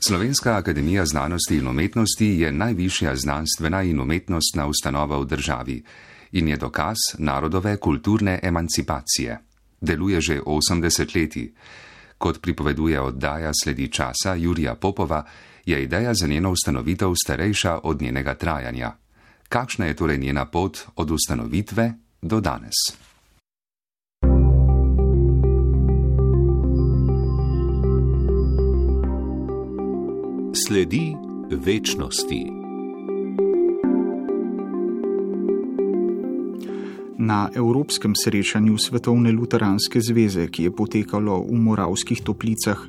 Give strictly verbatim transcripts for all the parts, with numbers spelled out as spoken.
Slovenska akademija znanosti in umetnosti je najvišja znanstvena in umetnostna ustanova v državi in je dokaz narodove kulturne emancipacije. Deluje že osem desetletij. Kot pripoveduje oddaja Sledi časa Jurija Popova, je ideja za njeno ustanovitev starejša od njenega trajanja. Kakšna je torej njena pot od ustanovitve do danes? Sledi večnosti. Na Evropskem srečanju Svetovne luteranske zveze, ki je potekalo v Moravskih Toplicah,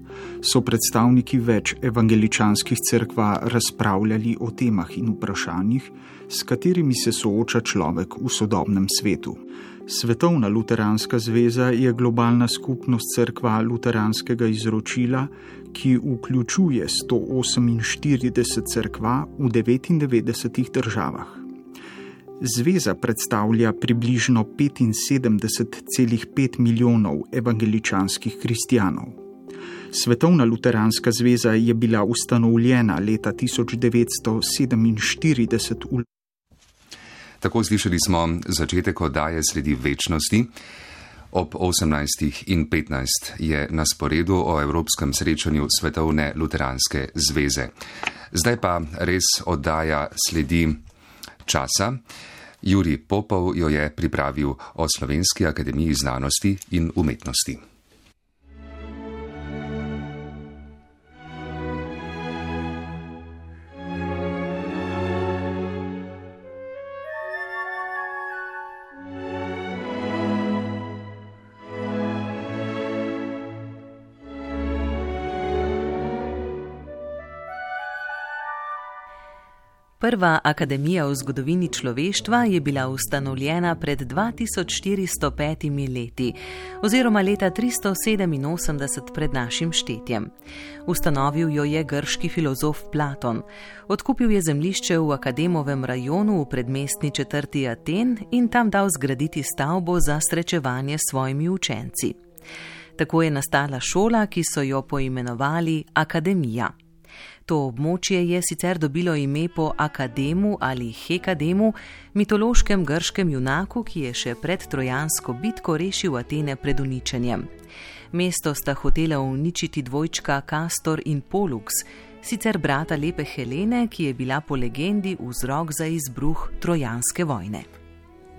so predstavniki več evangeličanskih cerkva razpravljali o temah in vprašanjih, s katerimi se sooča človek v sodobnem svetu. Svetovna luteranska zveza je globalna skupnost cerkva luteranskega izročila, ki vključuje sto oseminštirideset cerkva v devetindevetdesetih državah. Zveza predstavlja približno petinsedemdeset celih pet milijonov evangeličanskih kristjanov. Svetovna luteranska zveza je bila ustanovljena leta tisoč devetsto sedeminštirideset v Tako slišali smo začetek oddaje Sledi večnosti. Ob osemnajstih in petnajst je na sporedu o Evropskem srečanju Svetovne luteranske zveze. Zdaj pa res oddaja Sledi časa. Jurij Popov jo je pripravil o Slovenski akademiji znanosti in umetnosti. Prva akademija v zgodovini človeštva je bila ustanovljena pred dva tisoč štiristo petimi leti oziroma leta tristo sedeminosemdeset pred našim štetjem. Ustanovil jo je grški filozof Platon. Odkupil je zemljišče v Akademovem rajonu v predmestni četrti Aten in tam dal zgraditi stavbo za srečevanje s svojimi učenci. Tako je nastala šola, ki so jo poimenovali Akademija. To območje je sicer dobilo ime po Akademu ali Hekademu, mitološkem grškem junaku, ki je še pred trojansko bitko rešil Atene pred uničenjem. Mesto sta hotela uničiti dvojčka Kastor in Polux, sicer brata lepe Helene, ki je bila po legendi vzrok za izbruh trojanske vojne.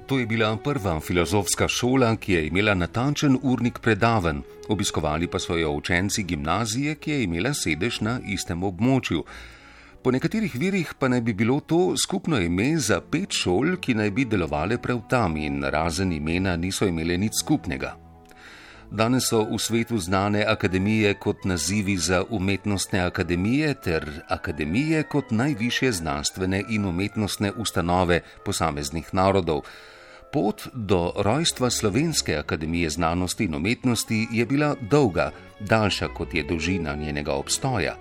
To je bila prva filozofska šola, ki je imela natančen urnik predavanj, obiskovali pa so jo učenci gimnazije, ki je imela sedež na istem območju. Po nekaterih virih pa naj bi bilo to skupno ime za pet šol, ki naj bi delovale prav tam in razen imena niso imele nič skupnega. Danes so v svetu znane akademije kot nazivi za umetnostne akademije ter akademije kot najvišje znanstvene in umetnostne ustanove posameznih narodov. Pot do rojstva Slovenske akademije znanosti in umetnosti je bila dolga, daljša kot je dolžina njenega obstoja.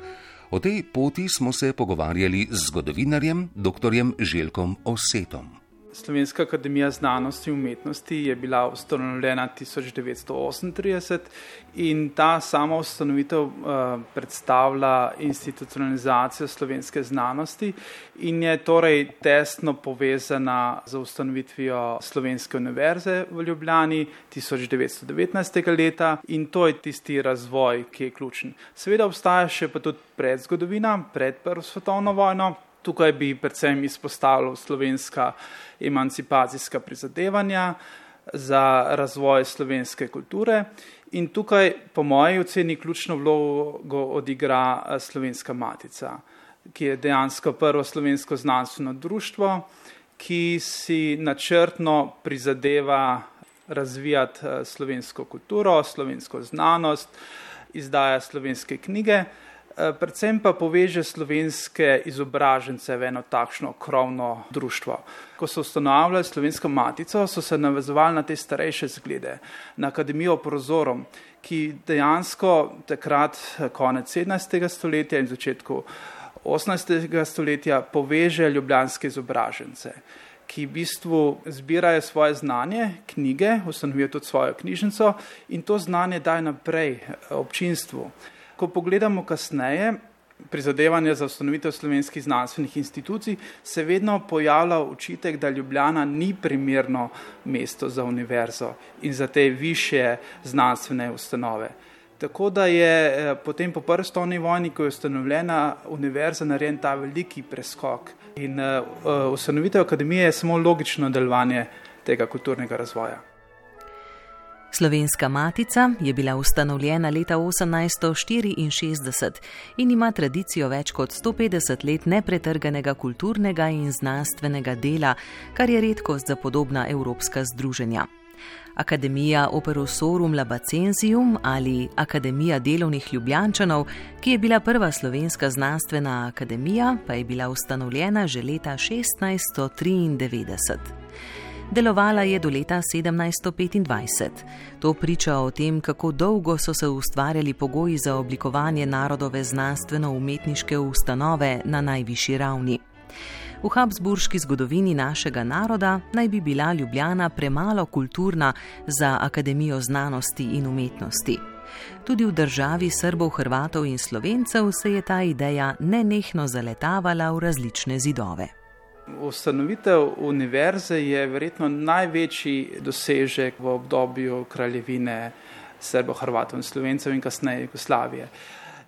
O tej poti smo se pogovarjali z zgodovinarjem, doktorjem Željkom Osetom. Slovenska akademija znanosti in umetnosti je bila ustanovljena tisoč devetsto osemintrideset in ta sama ustanovitev uh, predstavlja institucionalizacijo slovenske znanosti in je torej tesno povezana z ustanovitvijo Slovenske univerze v Ljubljani tisoč devetsto devetnajstega leta in to je tisti razvoj, ki je ključen. Seveda obstaja še pa tudi predzgodovina, pred Prvo svetovno vojno. Tukaj bi predvsem izpostavil slovenska emancipacijska prizadevanja za razvoj slovenske kulture in tukaj po moji oceni ključno vlogo odigra Slovenska matica, ki je dejansko prvo slovensko znanstveno društvo, ki si načrtno prizadeva razvijati slovensko kulturo, slovensko znanost, izdaja slovenske knjige, predvsem pa poveže slovenske izobražence v eno takšno krovno društvo. Ko so ustanavljali Slovensko matico, so se navezovali na te starejše zglede, na Akademijo Prozorom, ki dejansko takrat konec sedemnajstega stoletja in začetku osemnajstega stoletja poveže ljubljanske izobražence, ki v bistvu zbirajo svoje znanje, knjige, ustanovijo tudi svojo knjižnico in to znanje daje naprej občinstvu. Ko pogledamo kasneje, prizadevanja za ustanovitev slovenskih znanstvenih institucij se vedno pojavlja očitek, da Ljubljana ni primerno mesto za univerzo in za te višje znanstvene ustanove. Tako da je potem po prvi svetovni vojni, ko je ustanovljena univerza, narejen ta veliki preskok. In uh, ustanovitev akademije je samo logično nadaljevanje tega kulturnega razvoja. Slovenska matica je bila ustanovljena leta osemnajststo štiriinšestdeset in ima tradicijo več kot sto petdeset let nepretrganega kulturnega in znanstvenega dela, kar je redkost za podobna evropska združenja. Akademija Operosorum Labacensium ali Akademija delovnih Ljubljančanov, ki je bila prva slovenska znanstvena akademija, pa je bila ustanovljena že leta šestnajststo triindevetdeset. Delovala je do leta sedemnajststo petindvajset. To priča o tem, kako dolgo so se ustvarjali pogoji za oblikovanje narodove znanstveno-umetniške ustanove na najvišji ravni. V habsburški zgodovini našega naroda naj bi bila Ljubljana premalo kulturna za Akademijo znanosti in umetnosti. Tudi v državi Srbov, Hrvatov in Slovencev se je ta ideja nenehno zaletavala v različne zidove. Ustanovitev univerze je verjetno največji dosežek v obdobju kraljevine Srbov, Hrvatov in Slovencev in kasneje Jugoslavije.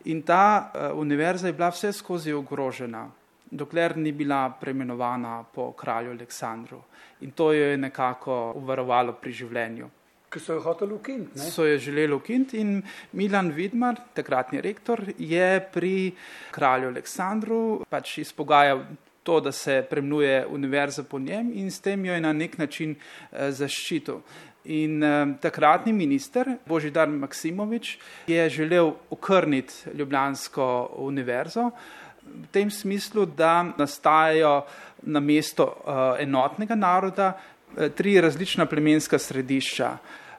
In ta univerza je bila vse skozi ogrožena, dokler ni bila preimenovana po kralju Aleksandru. In to jo je nekako uvarovalo pri življenju. Ki so jo hoteli ukiniti, ne? So jo želeli ukiniti in Milan Vidmar, takratni rektor, je pri kralju Aleksandru pač izpogajal to, da se preimenuje univerza po njem in s tem jo je na nek način eh, zaščitil. In eh, takratni minister Božidar Maksimovič je želel okrniti ljubljansko univerzo v tem smislu, da nastajajo na mesto uh, enotnega naroda uh, tri različna plemenska središča,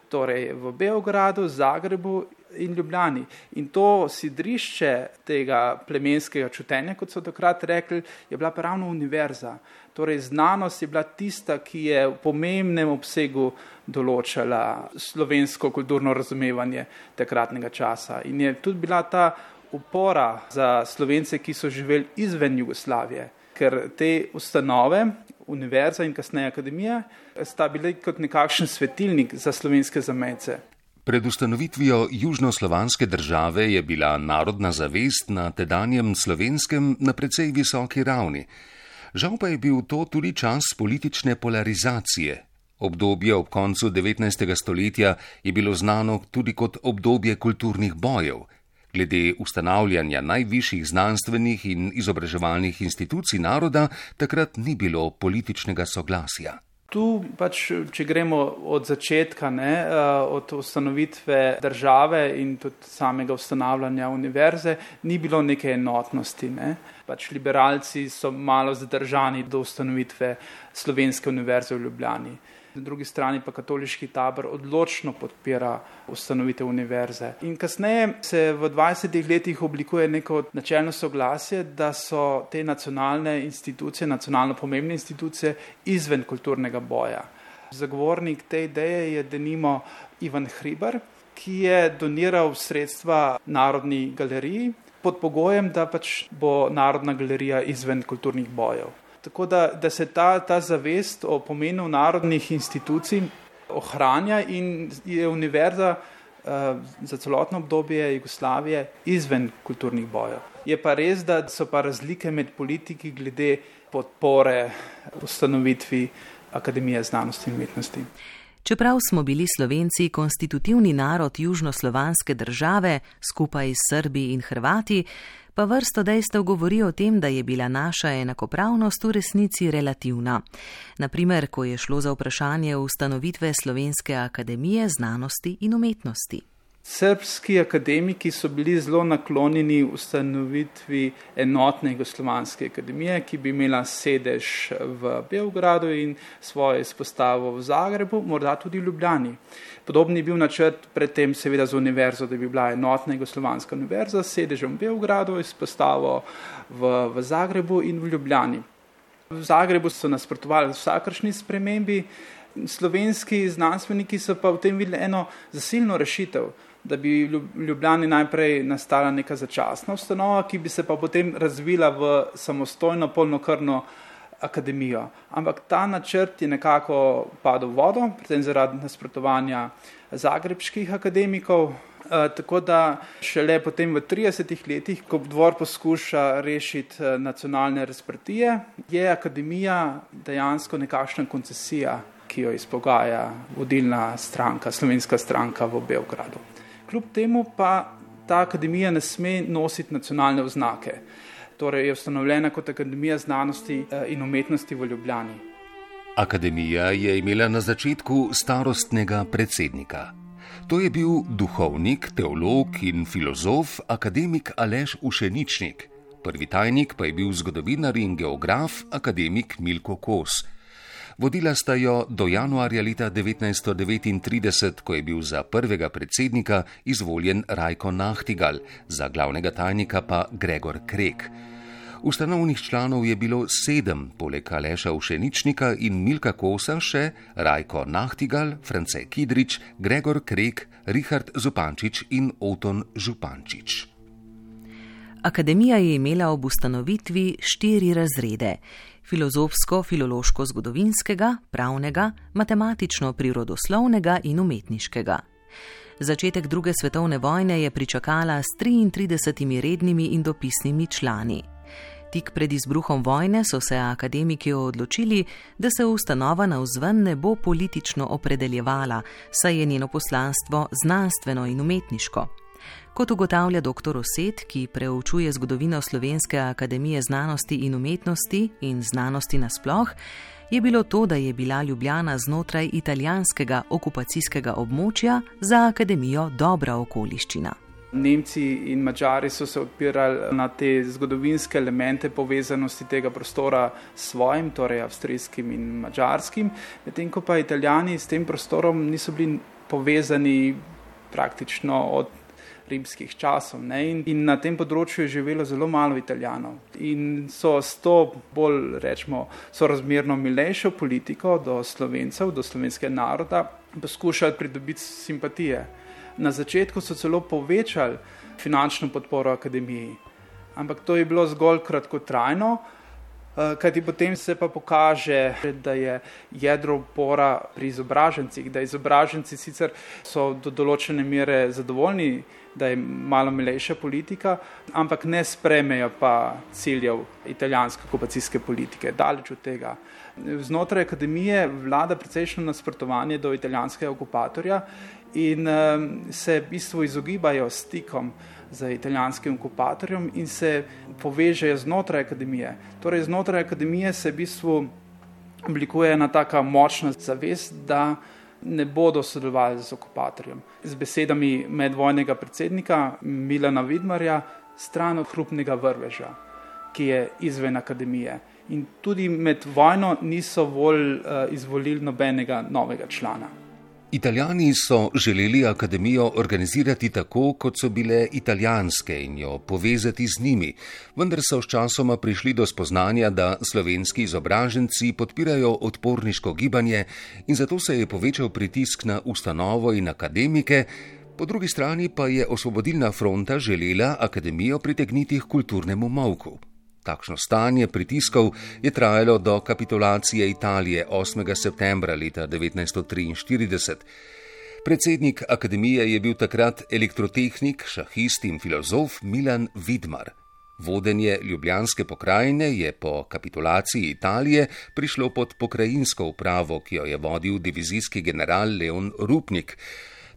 torej v Beogradu, Zagrebu in Ljubljani. In to sidrišče tega plemenskega čutenja, kot so takrat rekli, je bila ravno univerza. Torej znanost je bila tista, ki je v pomembnem obsegu določala slovensko kulturno razumevanje takratnega časa. In je tudi bila ta upora za Slovence, ki so živeli izven Jugoslavije, ker te ustanove, univerza in kasneje akademija, sta bili kot nekakšen svetilnik za slovenske zamejce. Pred ustanovitvijo južnoslovanske države je bila narodna zavest na tedanjem Slovenskem na precej visoki ravni. Žal pa je bil to tudi čas politične polarizacije. Obdobje ob koncu devetnajstega stoletja je bilo znano tudi kot obdobje kulturnih bojev. Glede ustanavljanja najvišjih znanstvenih in izobraževalnih institucij naroda takrat ni bilo političnega soglasja. Tu pač, če gremo od začetka, ne, od ustanovitve države in tudi samega ustanavljanja univerze, ni bilo neke enotnosti. Ne. Pač liberalci so malo zadržani do ustanovitve Slovenske univerze v Ljubljani. Na drugi strani pa katoliški tabor odločno podpira ustanovitev univerze. In kasneje se v dvajsetih letih oblikuje neko načelno soglasje, da so te nacionalne institucije, nacionalno pomembne institucije izven kulturnega boja. Zagovornik te ideje je denimo Ivan Hribar, ki je doniral sredstva Narodni galeriji pod pogojem, da pač bo Narodna galerija izven kulturnih bojev. Tako da, da se ta, ta zavest o pomenu narodnih institucij ohranja in je univerza uh, za celotno obdobje Jugoslavije izven kulturnih bojev. Je pa res, da so pa razlike med politiki glede podpore ustanovitvi Akademije znanosti in umetnosti. Čeprav smo bili Slovenci konstitutivni narod južnoslovanske države skupaj s Srbi in Hrvati, pa vrsto dejstev govori o tem, da je bila naša enakopravnost v resnici relativna. Naprimer, ko je šlo za vprašanje ustanovitve Slovenske akademije znanosti in umetnosti. Srbski akademiki so bili zelo naklonjeni ustanovitvi enotne jugoslovanske akademije, ki bi imela sedež v Beogradu in svojo izpostavo v Zagrebu, morda tudi v Ljubljani. Podobni je bil načrt predtem seveda z univerzo, da bi bila enotna jugoslovanska univerza s sedežem v Beogradu, izpostavo v, v Zagrebu in v Ljubljani. V Zagrebu so nasprotovali vsakršni spremembi, slovenski znanstveniki so pa v tem videli eno zasilno rešitev, da bi v Ljubljani najprej nastala neka začasna ustanova, ki bi se pa potem razvila v samostojno polnokrvno akademijo. Ampak ta načrt je nekako padel v vodo, predvsem zaradi nasprotovanja zagrebških akademikov, e, tako da šele potem v tridesetih letih, ko dvor poskuša rešiti nacionalne razprtije, je akademija dejansko nekakšna koncesija, ki jo izpogaja vodilna stranka, slovenska stranka v Beogradu. Kljub temu pa ta akademija ne sme nositi nacionalne oznake. Torej je ustanovljena kot Akademija znanosti in umetnosti v Ljubljani. Akademija je imela na začetku starostnega predsednika. To je bil duhovnik, teolog in filozof akademik Aleš Ušeničnik. Prvi tajnik pa je bil zgodovinar in geograf akademik Milko Kos. Vodila sta jo do januarja leta devetnajststo devetintrideset, ko je bil za prvega predsednika izvoljen Rajko Nahtigal, za glavnega tajnika pa Gregor Krek. Ustanovnih članov je bilo sedem, poleg Aleša Ušeničnika in Milka Kosa še Rajko Nahtigal, France Kidrič, Gregor Krek, Richard Zupančič in Oton Župančič. Akademija je imela ob ustanovitvi štiri razrede: filozofsko-filološko-zgodovinskega, pravnega, matematično-prirodoslovnega in umetniškega. Začetek druge svetovne vojne je pričakala s triintridesetimi rednimi in dopisnimi člani. Tik pred izbruhom vojne so se akademiki odločili, da se ustanova navzven ne bo politično opredeljevala, saj je njeno poslanstvo znanstveno in umetniško. Kot ugotavlja doktor Osed, ki preučuje zgodovino Slovenske akademije znanosti in umetnosti in znanosti nasploh, je bilo to, da je bila Ljubljana znotraj italijanskega okupacijskega območja, za akademijo dobra okoliščina. Nemci in Madžari so se odpirali na te zgodovinske elemente povezanosti tega prostora s svojim, torej avstrijskim in madžarskim, medtem ko pa Italijani s tem prostorom niso bili povezani praktično od rimskih časov. Ne? In, in na tem področju je živelo zelo malo Italijanov. In so s to bolj, rečemo, sorazmerno milejšo politiko do Slovencev, do slovenskega naroda, poskušali pridobiti simpatije. Na začetku so celo povečali finančno podporo akademiji, ampak to je bilo zgolj kratkotrajno, kajti potem se pa pokaže, da je jedro upora pri izobražencih, da izobraženci sicer so do določene mere zadovoljni, da je malo milejša politika, ampak ne spremejo pa ciljev italijanske okupacijske politike, daleč od tega. Znotraj akademije vlada precejšnjo nasprotovanje do italijanskega okupatorja in se v bistvu izogibajo stikom z italijanskim okupatorjem in se povežejo znotraj akademije. Torej znotraj akademije se v bistvu oblikuje ena taka močna zavest, da ne bodo sodelovali z okupatorjem. Z besedami medvojnega predsednika Milana Vidmarja, stran od hrupnega vrveža, ki je izven akademije. In tudi med vojno niso volj uh, izvolili nobenega novega člana. Italijani so želeli akademijo organizirati tako, kot so bile italijanske in jo povezati z njimi, vendar so sčasoma prišli do spoznanja, da slovenski izobraženci podpirajo odporniško gibanje in zato se je povečal pritisk na ustanovo in akademike, po drugi strani pa je Osvobodilna fronta želela akademijo pritegniti k kulturnemu molku. Takšno stanje pritiskov je trajalo do kapitulacije Italije osmega septembra leta devetnajststo triinštirideset. Predsednik akademije je bil takrat elektrotehnik, šahist in filozof Milan Vidmar. Vodenje ljubljanske pokrajine je po kapitulaciji Italije prišlo pod pokrajinsko upravo, ki jo je vodil divizijski general Leon Rupnik.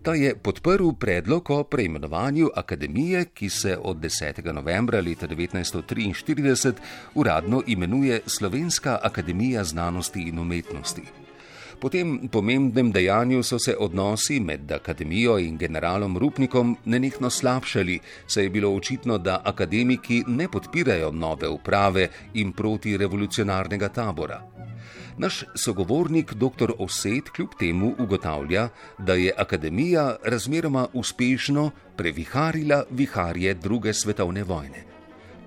Ta je podprl predlog o preimenovanju akademije, ki se od desetega novembra leta devetnajststo triinštirideset uradno imenuje Slovenska akademija znanosti in umetnosti. Po tem pomembnem dejanju so se odnosi med akademijo in generalom Rupnikom nenehno slabšali, saj je bilo očitno, da akademiki ne podpirajo nove uprave in protirevolucionarnega tabora. Naš sogovornik doktor Osed kljub temu ugotavlja, da je akademija razmeroma uspešno previharila viharje druge svetovne vojne.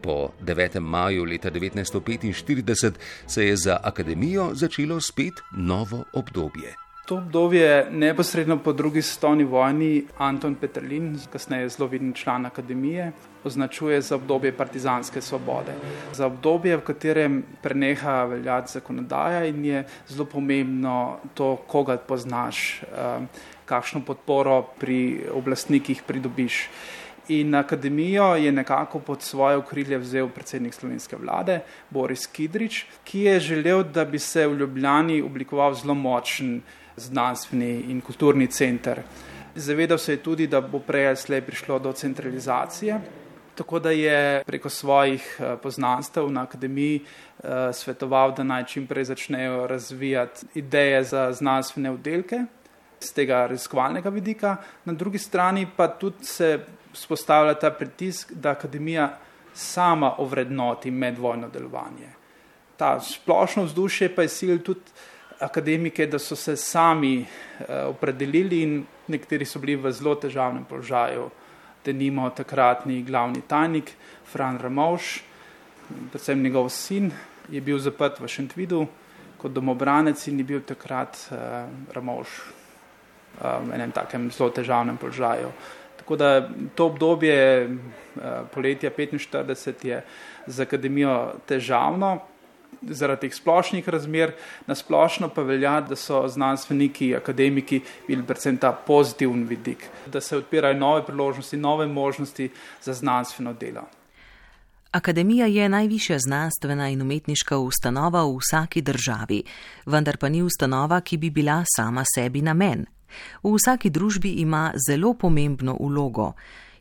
Po devetem maju leta devetnajststo petinštirideset se je za akademijo začelo spet novo obdobje. To obdobje neposredno po drugi svetovni vojni Anton Peterlin, kasneje zelo viden član akademije, označuje za obdobje partizanske svobode. Za obdobje, v katerem preneha veljati zakonodaja in je zelo pomembno to, koga poznaš, kakšno podporo pri oblastnikih pridobiš. In akademijo je nekako pod svoje okrilje vzel predsednik slovenske vlade Boris Kidrič, ki je želel, da bi se v Ljubljani oblikoval zelo močen znanstveni in kulturni center. Zavedal se je tudi, da bo prej ali slej prišlo do centralizacije, tako da je preko svojih poznanstev na akademiji svetoval, da naj čim prej začnejo razvijati ideje za znanstvene oddelke z tega raziskovalnega vidika. Na drugi strani pa tudi se vzpostavlja ta pritisk, da akademija sama ovrednoti medvojno delovanje. Ta splošno vzdušje pa je silil tudi akademike, da so se sami opredelili in nekateri so bili v zelo težavnem položaju. Denimo takratni glavni tajnik Fran Ramovš, predvsem njegov sin, je bil zaprt v Šentvidu kot domobranec in je bil takrat Ramovš v enem takem zelo težavnem položaju. Tako da to obdobje poletja petinštirideset je za akademijo težavno, zaradi teh splošnih razmer, na splošno pa velja, da so znanstveniki, akademiki bili predvsem ta pozitiven vidik, da se odpirajo nove priložnosti, nove možnosti za znanstveno delo. Akademija je najvišja znanstvena in umetniška ustanova v vsaki državi, vendar pa ni ustanova, ki bi bila sama sebi namen. V vsaki družbi ima zelo pomembno vlogo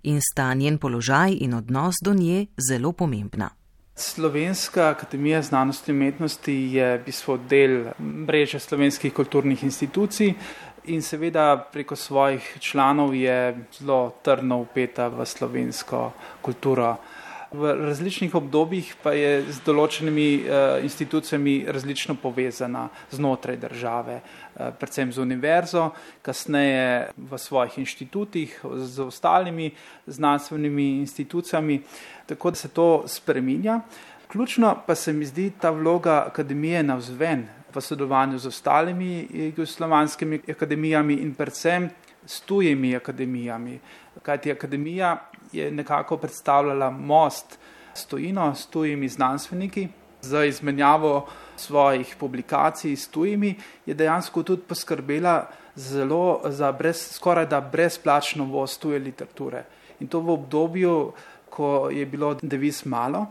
in sta njen položaj in odnos do nje zelo pomembna. Slovenska akademija znanosti in umetnosti je v bistvu del mreže slovenskih kulturnih institucij in seveda preko svojih članov je zelo trdno vpeta v slovensko kulturo. V različnih obdobjih pa je z določenimi institucijami različno povezana znotraj države, predvsem z univerzo, kasneje v svojih inštitutih, z ostalimi znanstvenimi institucijami, tako da se to spreminja. Ključno pa se mi zdi ta vloga akademije navzven v sodelovanju z ostalimi jugoslovanskimi akademijami in predvsem s tujimi akademijami, kajti akademija je nekako predstavljala most s tujino, s tujimi znanstveniki. Za izmenjavo svojih publikacij s tujimi je dejansko tudi poskrbela zelo za brez, skoraj da brezplačno voz tuje literature. In to v obdobju, ko je bilo deviz malo,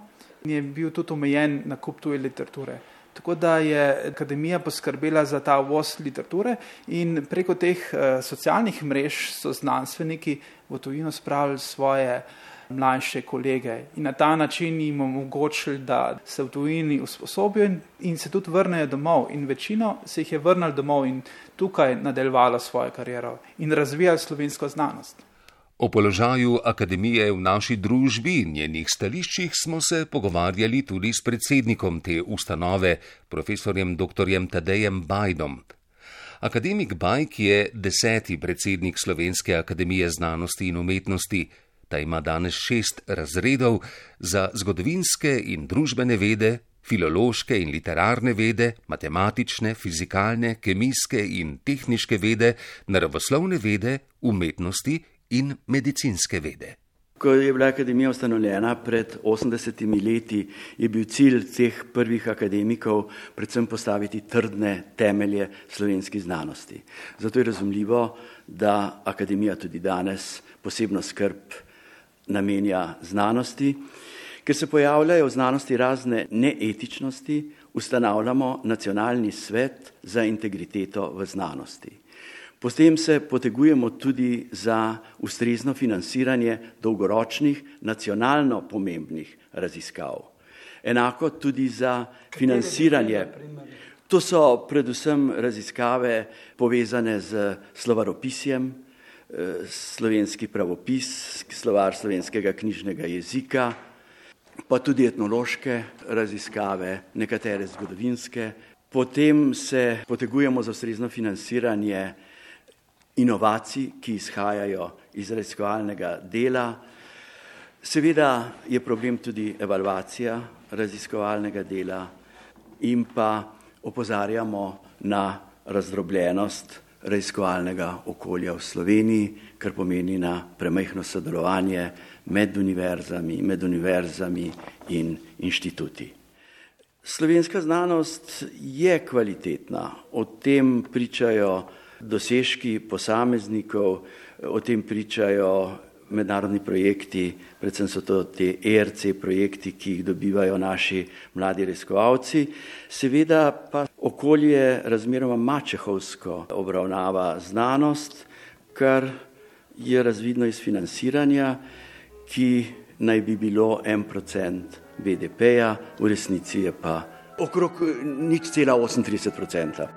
je bil tudi omejen nakup tuje literature. Tako da je akademija poskrbela za ta uvoz literature in preko teh socialnih mrež so znanstveniki v tujino spravili svoje mlajše kolege in na ta način jim omogočili, da se v tujini usposobijo in se tudi vrnejo domov. In večino se jih je vrnili domov in tukaj nadaljevalo svojo kariero in razvijali slovensko znanost. O položaju akademije v naši družbi in njenih stališčih smo se pogovarjali tudi s predsednikom te ustanove, profesorjem doktorjem Tadejem Bajdom. Akademik Bajd je deseti predsednik Slovenske akademije znanosti in umetnosti. Ta ima danes šest razredov za zgodovinske in družbene vede, filološke in literarne vede, matematične, fizikalne, kemijske in tehniške vede, naravoslovne vede, umetnosti in medicinske vede. Ko je bila akademija ustanovljena pred osemdesetimi leti, je bil cilj teh prvih akademikov predvsem postaviti trdne temelje slovenski znanosti. Zato je razumljivo, da akademija tudi danes posebno skrb namenja znanosti. Ker se pojavljajo v znanosti razne neetičnosti, ustanavljamo nacionalni svet za integriteto v znanosti. Potem se potegujemo tudi za ustrezno financiranje dolgoročnih, nacionalno pomembnih raziskav. Enako tudi za financiranje. To so predvsem raziskave povezane z slovaropisjem, slovenski pravopis, slovar slovenskega knjižnega jezika, pa tudi etnološke raziskave, nekatere zgodovinske. Potem se potegujemo za ustrezno financiranje inovacij, ki izhajajo iz raziskovalnega dela. Seveda je problem tudi evalvacija raziskovalnega dela in pa opozarjamo na razdrobljenost raziskovalnega okolja v Sloveniji, kar pomeni na premajhno sodelovanje med univerzami, med univerzami in inštituti. Slovenska znanost je kvalitetna, o tem pričajo dosežki posameznikov, o tem pričajo mednarodni projekti, predvsem so to te E R C projekti, ki jih dobivajo naši mladi raziskovalci. Seveda pa okolje razmeroma mačehovsko obravnava znanost, kar je razvidno iz financiranja, ki naj bi bilo en procent B D P-ja, v resnici je pa okrog nič cela osemintrideset procenta.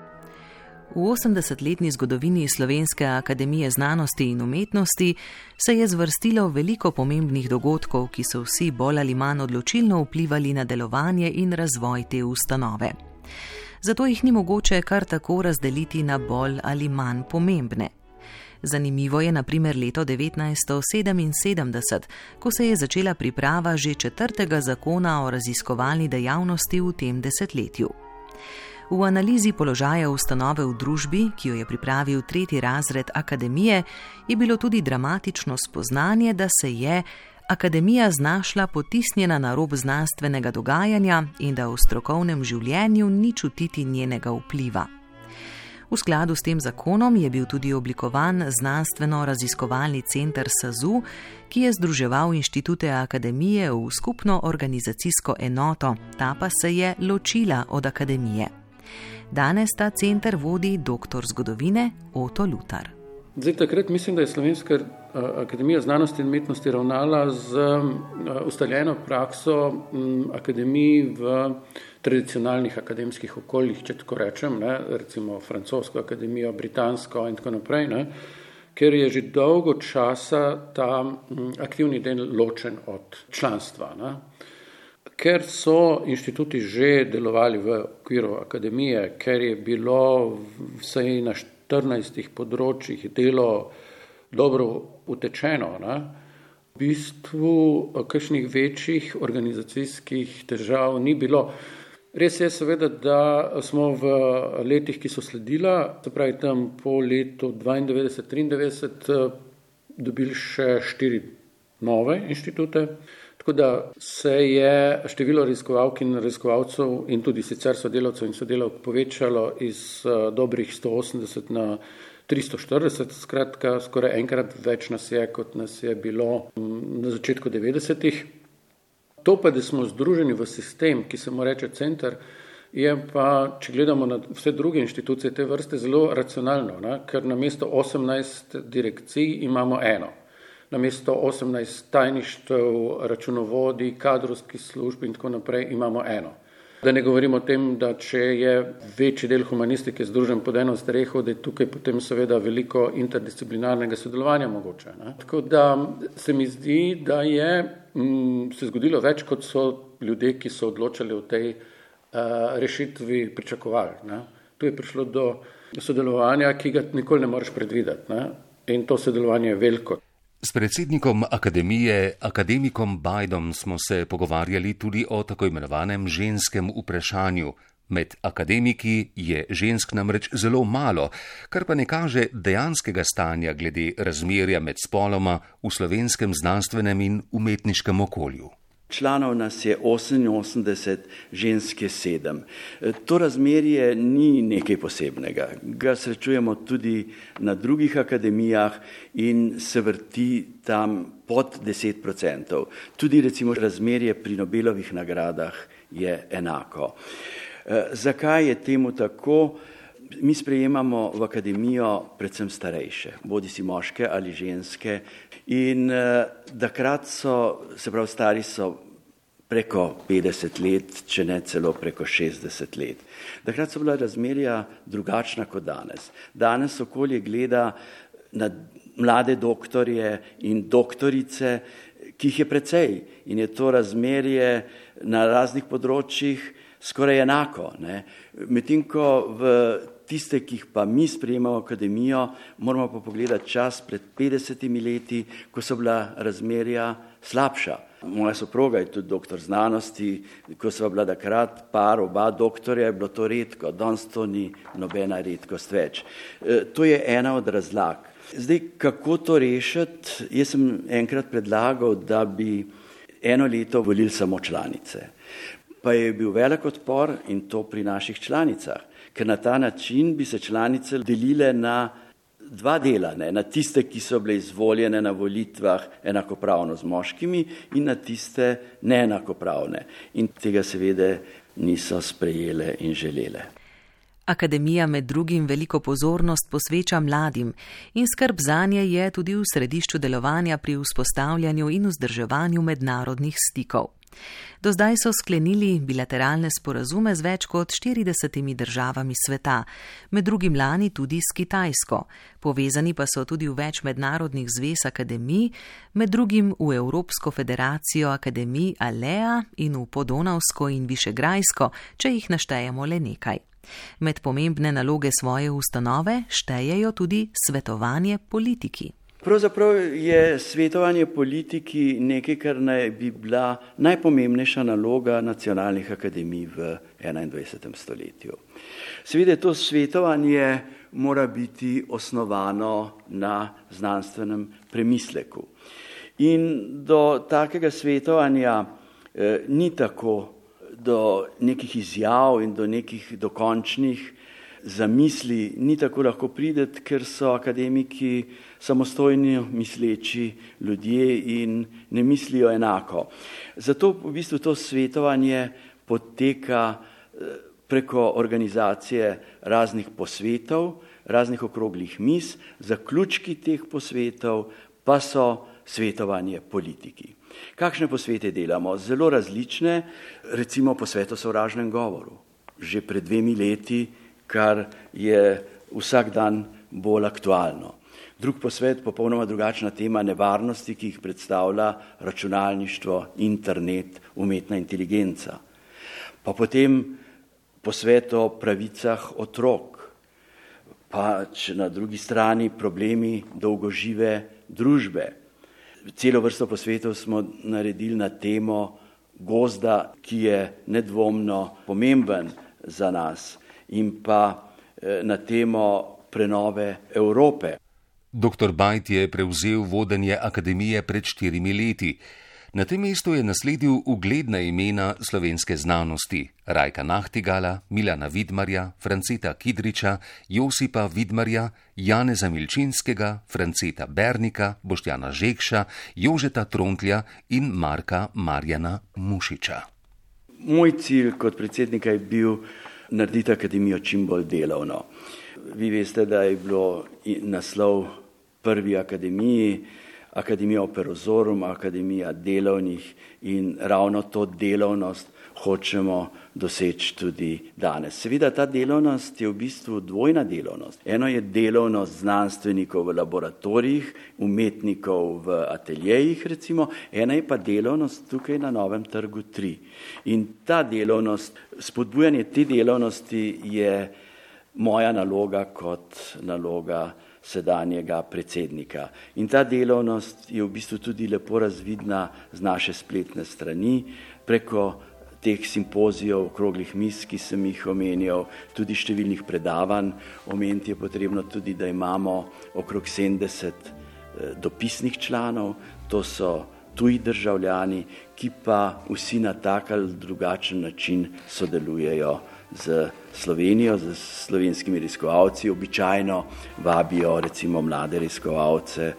V osemdesetletni zgodovini Slovenske akademije znanosti in umetnosti se je zvrstilo veliko pomembnih dogodkov, ki so vsi bolj ali manj odločilno vplivali na delovanje in razvoj te ustanove. Zato jih ni mogoče kar tako razdeliti na bolj ali manj pomembne. Zanimivo je na primer leto devetnajststo sedeminsedemdeset, ko se je začela priprava že četrtega zakona o raziskovalni dejavnosti v tem desetletju. V analizi položaja ustanove v družbi, ki jo je pripravil tretji razred akademije, je bilo tudi dramatično spoznanje, da se je akademija znašla potisnjena na rob znanstvenega dogajanja in da v strokovnem življenju ni čutiti njenega vpliva. V skladu s tem zakonom je bil tudi oblikovan znanstveno-raziskovalni center S A Z U, ki je združeval inštitute akademije v skupno organizacijsko enoto, ta pa se je ločila od akademije. Danes ta center vodi doktor zgodovine Oto Lutar. Zdaj, takrat mislim, da je Slovenska akademija znanosti in umetnosti ravnala z ustaljeno prakso akademij v tradicionalnih akademskih okoljih, če tako rečem, ne, recimo francosko akademijo, britansko in tako naprej, ne, ker je že dolgo časa ta aktivni del ločen od članstva. Ne. Ker so inštituti že delovali v okviru akademije, ker je bilo vsaj na štirinajstih področjih delo dobro utečeno, ne, v bistvu kakšnih večjih organizacijskih težav ni bilo. Res je seveda, da smo v letih, ki so sledila, se pravi tam po letu dvaindevetdeset triindevetdeset, dobili še štiri nove inštitute, tako da se je število raziskovalk in raziskovalcev in tudi sicer sodelavcev in sodelavk povečalo iz dobrih sto osemdeset na tristo štirideset, skratka skoraj enkrat več nas je, kot nas je bilo na začetku devetdesetih. To pa, da smo združeni v sistem, ki se mu reče center, je pa, če gledamo na vse druge inštitucije te vrste, zelo racionalno, ne? Ker namesto osemnajst direkcij imamo eno. Namesto osemnajst tajništev, računovodij, kadrovskih služb in tako naprej imamo eno. Da ne govorimo o tem, da če je večji del humanistike združen pod eno streho, da je tukaj potem seveda veliko interdisciplinarnega sodelovanja mogoče. Ne? Tako da se mi zdi, da je m, se zgodilo več, kot so ljudje, ki so odločali o tej uh, rešitvi, pričakovali. Ne? Tu je prišlo do sodelovanja, ki ga nikoli ne moreš predvideti. Ne? In to sodelovanje je veliko. S predsednikom akademije, akademikom Bajdom, smo se pogovarjali tudi o tako imenovanem ženskem vprašanju. Med akademiki je žensk namreč zelo malo, kar pa ne kaže dejanskega stanja glede razmerja med spoloma v slovenskem znanstvenem in umetniškem okolju. Članov nas je oseminosemdeset, ženske sedem. To razmerje ni nekaj posebnega. Ga srečujemo tudi na drugih akademijah in se vrti tam pod deset procentov. Tudi recimo razmerje pri Nobelovih nagradah je enako. Zakaj je temu tako? Mi sprejemamo v akademijo predvsem starejše, bodi si moške ali ženske, in takrat so, se pravi, stari so preko petdeset let, če ne celo preko šestdeset let. Takrat so bila razmerja drugačna kot danes. Danes okolje gleda na mlade doktorje in doktorice, ki jih je precej, in je to razmerje na raznih področjih skoraj enako. Ne? Medtem ko v tiste, ki jih pa mi sprejemamo v akademijo, moramo pa pogledati čas pred petdesetimi leti, ko so bila razmerja slabša. Moja soproga je tudi doktor znanosti, ko sva bila takrat par, oba doktorja, je bilo to redko, danes to ni nobena redkost več. E, to je ena od razlag. Zdaj, kako to rešiti? Jaz sem enkrat predlagal, da bi eno leto volili samo članice. Pa je bil velik odpor in to pri naših članicah, ker na ta način bi se članice delile na dva dela, ne, na tiste, ki so bile izvoljene na volitvah enakopravno z moškimi in na tiste neenakopravne. In tega seveda niso sprejele in želele. Akademija med drugim veliko pozornost posveča mladim in skrb zanje je tudi v središču delovanja pri vzpostavljanju in vzdrževanju mednarodnih stikov. Do zdaj so sklenili bilateralne sporazume z več kot štiridesetimi državami sveta, med drugim lani tudi s Kitajsko. Povezani pa so tudi v več mednarodnih zvez akademij, med drugim v Evropsko federacijo akademij Alea in v Podonavsko in Višegrajsko, če jih naštejemo le nekaj. Med pomembne naloge svoje ustanove štejejo tudi svetovanje politiki. Pravzaprav je svetovanje politiki nekaj, kar naj bi bila najpomembnejša naloga nacionalnih akademij v enaindvajsetem stoletju. Seveda to svetovanje mora biti osnovano na znanstvenem premisleku. In do takega svetovanja eh, ni tako, do nekih izjav in do nekih dokončnih zamisli ni tako lahko prideti, ker so akademiki samostojni misleči ljudje in ne mislijo enako. Zato v bistvu to svetovanje poteka preko organizacije raznih posvetov, raznih okroglih miz, zaključki teh posvetov pa so svetovanje politiki. Kakšne posvete delamo? Zelo različne, recimo posvet o sovražnem govoru. Že pred dvemi leti, kar je vsak dan bolj aktualno. Drug posvet, popolnoma drugačna tema nevarnosti, ki jih predstavlja računalništvo, internet, umetna inteligenca. Pa potem posvet o pravicah otrok, pa na drugi strani problemi dolgožive družbe. Celo vrsto posvetov smo naredili na temo gozda, ki je nedvomno pomemben za nas, in pa na temo prenove Evrope. Doktor Bajt je prevzel vodenje akademije pred štirimi leti. Na tem mestu je nasledil ugledna imena slovenske znanosti: Rajka Nahtigala, Milana Vidmarja, Franceta Kidriča, Josipa Vidmarja, Janeza Milčinskega, Franceta Bernika, Boštjana Žekša, Jožeta Trontlja in Marka Marjana Mušiča. Moj cilj kot predsednika je bil narediti akademijo čim bolj delovno. Vi veste, da je bilo naslov prvi akademiji, Akademija Operozorum, Akademija delovnih, in ravno to delovnost hočemo doseči tudi danes. Seveda ta delovnost je v bistvu dvojna delovnost. Eno je delovnost znanstvenikov v laboratorijih, umetnikov v ateljejih recimo, ena je pa delovnost tukaj na Novem trgu tri. In ta delovnost, spodbujanje te delovnosti je moja naloga kot naloga sedanjega predsednika. In ta delovnost je v bistvu tudi lepo razvidna z naše spletne strani, preko teh simpozijev, okroglih miz, ki sem jih omenjal, tudi številnih predavanj. Omeniti je potrebno tudi, da imamo okrog sedemdeset dopisnih članov, to so tuji državljani, ki pa vsi na tak ali drugačen način sodelujejo z Slovenijo, z slovenskimi raziskovalci. Običajno vabijo recimo mlade raziskovalce,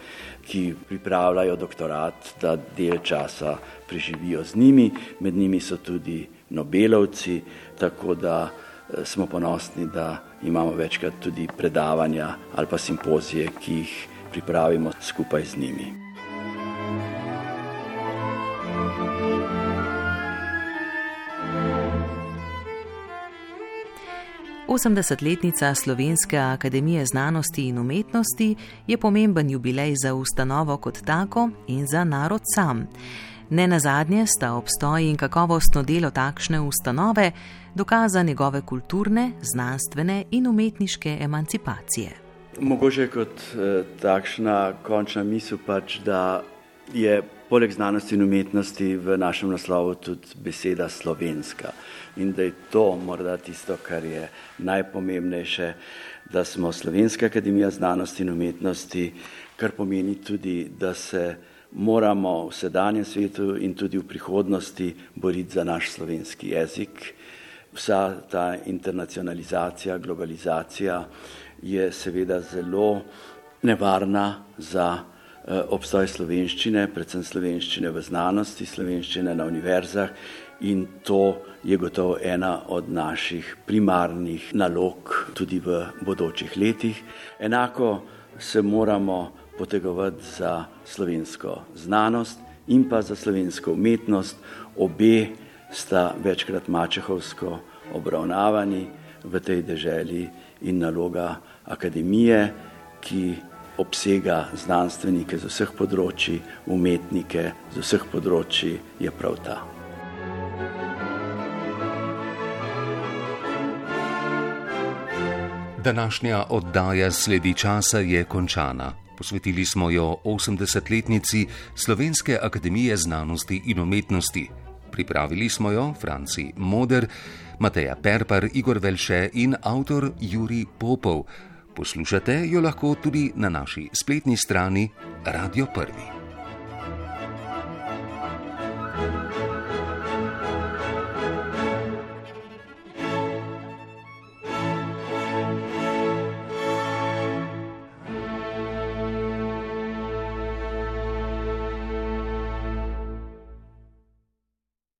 ki pripravljajo doktorat, da del časa preživijo z njimi. Med njimi so tudi Nobelovci, tako da smo ponosni, da imamo večkrat tudi predavanja ali pa simpozije, ki jih pripravimo skupaj z njimi. osemdesetletnica Slovenske akademije znanosti in umetnosti je pomemben jubilej za ustanovo kot tako in za narod sam. Ne nazadnje sta obstoj in kakovostno delo takšne ustanove dokaza njegove kulturne, znanstvene in umetniške emancipacije. Mogoče kot eh, takšna končna misel pač, da je poleg znanosti in umetnosti v našem naslovu tudi beseda slovenska. In da je to morda tisto, kar je najpomembnejše, da smo Slovenska akademija znanosti in umetnosti, kar pomeni tudi, da se moramo v sedanjem svetu in tudi v prihodnosti boriti za naš slovenski jezik. Vsa ta internacionalizacija, globalizacija je seveda zelo nevarna za obstoj slovenščine, predvsem slovenščine v znanosti, slovenščine na univerzah, in to je gotovo ena od naših primarnih nalog tudi v bodočih letih. Enako se moramo potegovati za slovensko znanost in pa za slovensko umetnost. Obe sta večkrat mačehovsko obravnavani v tej deželi in naloga akademije, ki obsega znanstvenike z vseh področji, umetnike z vseh področji, je prav ta. Današnja oddaja Sledi časa je končana. Posvetili smo jo osemdesetletnici Slovenske akademije znanosti in umetnosti. Pripravili smo jo Franci Moder, Mateja Perpar, Igor Velše in avtor Jurij Popov. Poslušate jo lahko tudi na naši spletni strani Radio Prvi.